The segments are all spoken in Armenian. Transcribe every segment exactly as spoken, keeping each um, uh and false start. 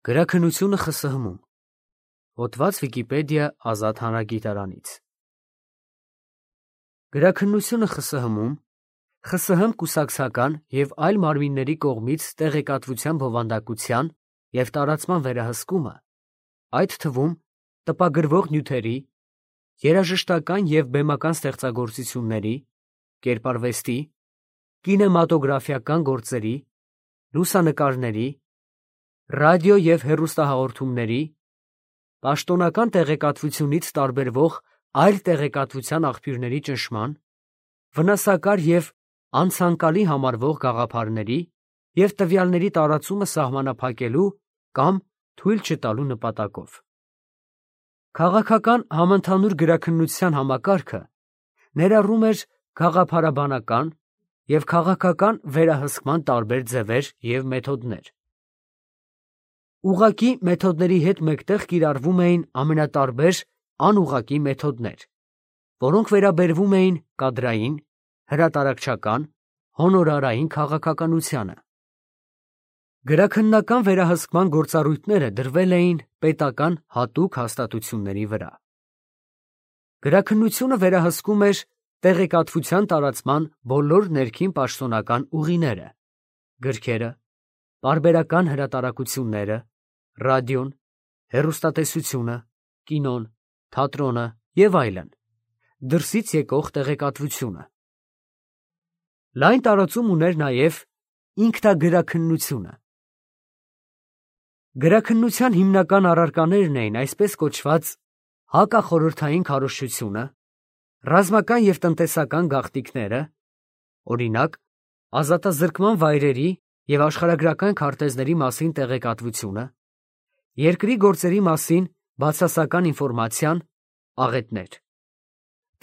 Գրաքննությունը ԽՍՀՄ-ում։ Հոդված Վիկիպեդիա ազատ հանրագիտարանից։ Գրաքննությունը ԽՍՀՄ-ում ԽՍՀՄ կուսակցական և այլ մարմինների կողմից տեղեկատվության բովանդակության և տարածման վերահսկումը, այդ թվում տպագրվող նյութերի, երաժշտական և բեմական ստեղծագործությունների, կերպարվեստի, կինեմատոգրաֆիական գործերի, լուսանկարների, ռադիո և հեռուստահաղորդումների, պաշտոնական տեղեկատվությունից տարբերվող այլ տեղեկատվության աղբյուրների ճնշման, վնասակար և անցանկալի համարվող գաղափարների և տվյալների տարածումը սահմանափակելու կամ թույլ չտալու նպատակով։ Քաղաքական համընդհանուր գրաքննության համակարգը ներառում էր գաղափարաբանական և քաղաքական վերահսկման տարբեր ձևեր և մեթոդներ։ Ուղղակի մեթոդների հետ մեկտեղ կիրառվում էին ամենատարբեր անուղղակի մեթոդներ, որոնք վերաբերվում էին կադրային, հրատարակչական, հոնորարային քաղաքականությանը։ Գրաքննական վերահսկման գործառույթները դրվել էին պետական հատուկ հաստատությունների վրա։ Գրաքննությունը վերահսկում էր տեղեկատվության տարածման բոլոր ներքին պաշտոնական ուղիները՝ գրքերը, պարբերական հրատարակությունները, ռադիոն, հեռուստատեսությունը, կինոն, թատրոնը և այլն, դրսից եկող տեղեկատվությունը։ Լայն տարածում ուներ նաև ինքնագրաքննությունը։ Գրաքննության հիմնական առարկաներն էին այսպես կոչված հակախորհրդային քարոզչությունը, ռազմական և տնտեսական գաղտնիքները, օրինակ, ազատազրկման վայրերի և աշխարհագրական քարտեզների մասին տեղեկատվությունը, երկրի գործերի մասին բացասական ինֆորմացիան, աղետներ,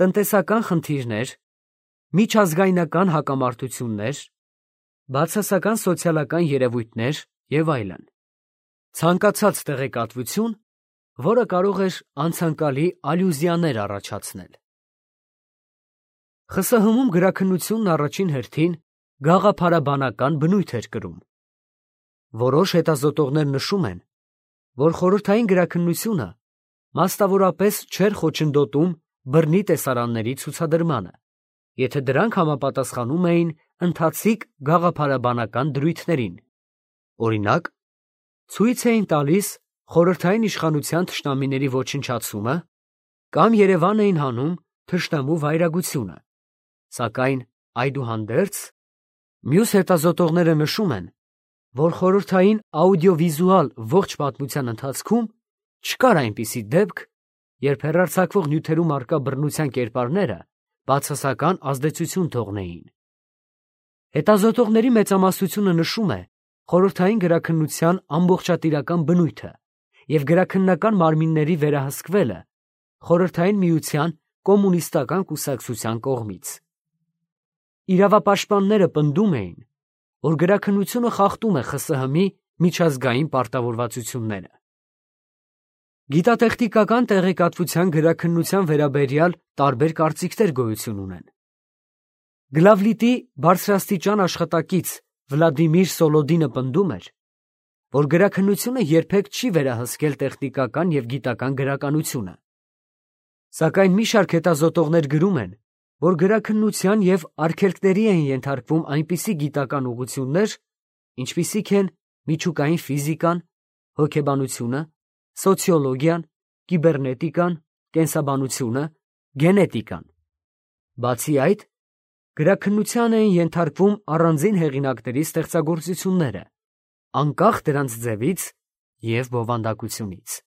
տնտեսական խնդիրներ, միջազգայնական հակամարտություններ, բացասական սոցիալական երևույթներ և այլն։ Ցանկացած տեղեկատվություն, որը կարող էր անցանկալի ալյուզիաներ առաջացնել։ ԽՍՀՄ-ում գրաքննությունն առաջին հերթին գաղափարաբանական բնույթ էր կրում։ Որոշ հետազոտողներ նշում են, որ խորհրդային գրաքննությունը մասնավորապես չէր խոչընդոտում բռնի տեսարանների ցուցադրմանը, եթե դրանք համապատասխանում էին ընթացիկ գաղափարաբանական դրույթներին, օրինակ, ցույց էին տալիս խորհրդային իշխանության թշնամիների ոչնչացումը կամ երևան էին հանում թշնամու վայրագությունը, սակայն այդուհանդերձ մյուս հետազոտողները նշում են, որ խորհրդային աուդիովիզուալ ողջ պատմության ընթացքում չկար այնպիսի դեպք, երբ հեռարձակվող նյութերում առկա բռնության կերպարները բացասական ազդեցություն թողնեին։ Հետազոտողների մեծամասնությունը նշում է խորհրդային գրաքննության ամբողջատիրական բնույթը և գրաքննական մարմինների վերահսկվելը Խորհրդային Միության կոմունիստական կուսակցության կողմից։ Իրավապաշտպանները պնդում էին, որ գրաքննությունը խախտում է ԽՍՀՄ-ի միջազգային պարտավորվածությունները։ Գիտատեխնիկական տեղեկատվության գրաքննության վերաբերյալ տարբեր կարծիքներ գոյություն ունեն։ Գլավլիտի բարձրաստիճան աշխատակից Վլադիմիր Սոլոդինը պնդում էր, որ գրաքննությունը երբեք չի վերահսկել տեխնիկական և գիտական գրականությունը։ Սակայն մի շարք հետազոտողներ գրում են, որ գրաքննության և արգելքների են ենթարկվում այնպիսի գիտական ուղղություններ, ինչպիսիք են միջուկային ֆիզիկան, հոգեբանությունը, սոցիոլոգիան, կիբեռնետիկան, կենսաբանությունը, գենետիկան։ Բացի այդ, գրաքննության էին ենթարկվում առանձին հեղինակների ստեղծագործությունները, անկախ դրանց ձևից և բովանդակությունից։